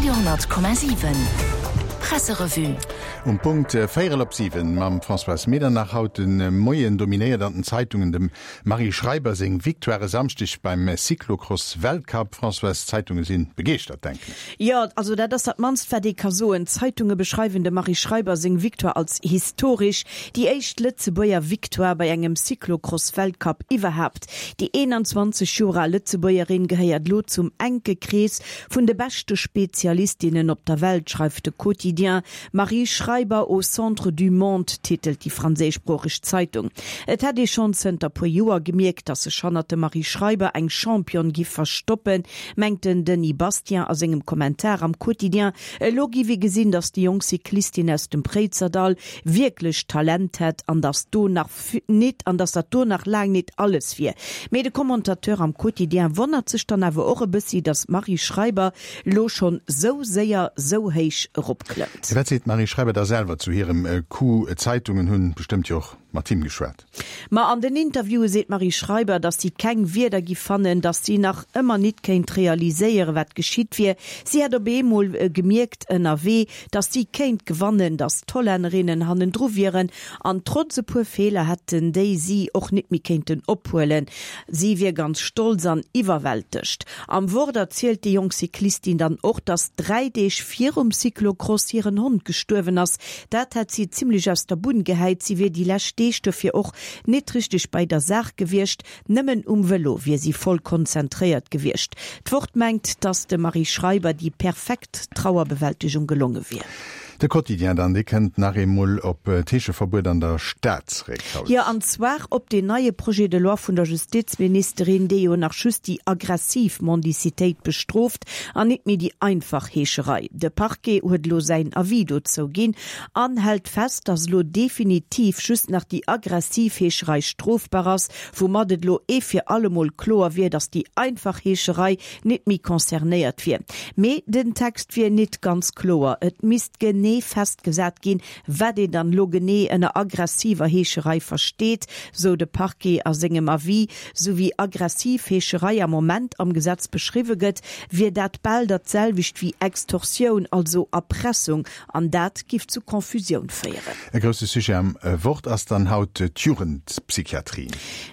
Radio,7 Presserevue. Um Punkt véierel op 7 mam Françoise Medernach. Haut de Moien dominéiert an den Zeitungen dem Marie Schreiber seng Victoire e Samschdeg beim Cyclocross-Weltcup. Françoise, d'Zeitunge si begeeschtert, denken ech. Jo, also dat ass dat mannst wat ee ka soen. D'Zeitunge beschreiwen dem Marie Schreiber seng Victoire als historesch, déi éischt Lëtzebuerger Victoire bei engem Cyclocross-Weltcup iwwerhaapt. Déi 21 Joer al Lëtzebuergerin gehéiert elo zum enke Krees vun de beschte Spezialistinnen op der Welt, schreift de Quotidien. Marie Schreiber au centre du monde, titelt déi franséischsproocheg Zeitung. Et hätt ee schonn zënter puer Joer gemierkt, datt sech hannert dem Marie Schreiber eng Championne giff verstoppen, mengt den Denis Bastien a sengem Kommentar am Quotidien. Elo giff ee gesinn, datt déi jonk Cyclistin aus dem Préizerdall wierklech Talent hätt an datt do nach nit an datt dat do nach laang nit alles wier. Mee de Commentateur am Quotidien wonnert sech dann awer och e bëssi, datt d'Marie Schreiber lo schonn sou séier sou héich eropklëmmt. Wat seet d'Marie Schreiber da selwer zu hirem Coup? D'Zeitungen hunn bestëmmt jo och mat him geschwat. Ma an den Interviewe seet d'Marie Schreiber, datt si keng Wierder giff fannen, datt si nach ëmmer nit kéint realiséieren, wat geschitt wier. Si hätt op eemol gemierkt ënnerwee, datt si kéint gewannen, datt d'Hollännerinnen hannendru wieren An trotz e puer Feeler hätten déi si och nit méi kéinten ophuelen. Si wier ganz stolz an iwwerwältegt. Am Wort erzielt déi jonk Cyclistin dann och, dass 3 Deeg virum Cyclocross hiren Hond gestuerwen ass. Dat hätt si zimmlech aus der Bunn gehäit. Si wier déi lescht Deeg dofir och nit richteg bei der Saach gewiescht. Nëmmen um Vëlo wier si voll konzentréiert gewiescht. D'Wort mengt, dass dem Marie Schreiber déi perfekt Trauerbewältegung gelonge wier. De Quotidien dann, dee kënnt nach eemol op d'Heescheverbuet an der Stad zeréck haut. Jo, an zwar op deen neie Projet de loi vun der Justizministerin, dee jo nach just déi aggressiv Mendicitéit bestrooft an nit méi déi einfach Heescherei. De Parquet huet elo säin Avis dozou ginn an hält fest, dass elo definitiv just nach déi aggressiv Heescherei strofbar ass, woumat et elo ee fir allemol kloer wier, datt déi einfach Heescherei nit méi concernéiert wier. Mee den Text wier nit ganz kloer, et misst genee festgesat ginn, wat een dann elo genee ënner aggressiver Heescherei versteet, sou de Parquet a sengem Avis. Sou wéi aggressiv Heescherei am Moment am Gesetz beschriwwe gëtt, wier dat bal dat selwecht wéi Extorsioun, also Erpressung, An dat giff zu Confusioun féieren. E grousse Sujet am Wort ass dann haut d'Jugendpsychiatrie.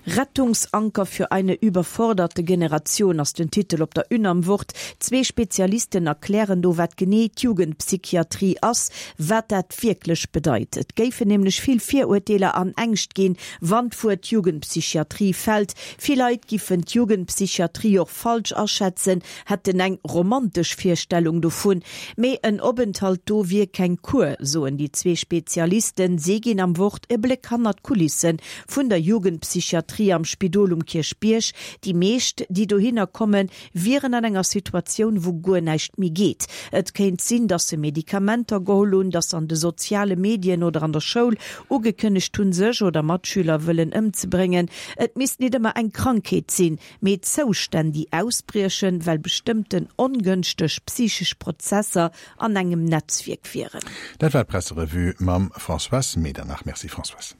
Rettungsanker für eine überforderte Generation ass den Titel op der Une am Wort. Zwee Spezialisten erklären do, wat genee d'Jugendpsychiatrie ass, wat dat wierklech bedeit. Et géifen nämlech vill Virurteeler an Ängscht ginn, wann d'Wuert Jugendpsychiatrie fält. Vill Leit giffen d'Jugendpsychiatrie och falsch aschätzen, hätten eng romantesch Virstellung dovun. Mee en Openthalt do wier keng Kur, soen déi zwee Spezialisten. Si ginn am Wort e Bléck hannert d'Kulisse vun der Jugendpsychiatrie am Spidol um Kierchbierg. Déi meescht, déi dohinner kommen, wieren an enger Situatioun, wou guer näischt méi geet. Et kéint sinn, datt se Medikamenter geholl hunn, datt se an de soziale Medien oder an der Schoul ugekënnegt hunn, sech oder Matschüler wëllen ëmzebréngen. Et misst nit ëmmer eng Krankheet sinn, mee Zoustänn, déi ausbriechen, well bestëmmten ongënschteg psychesch Prozesser an engem Netzwierk wieren. Dat war d'Presserevue mam Françoise Medernach. Merci Françoise.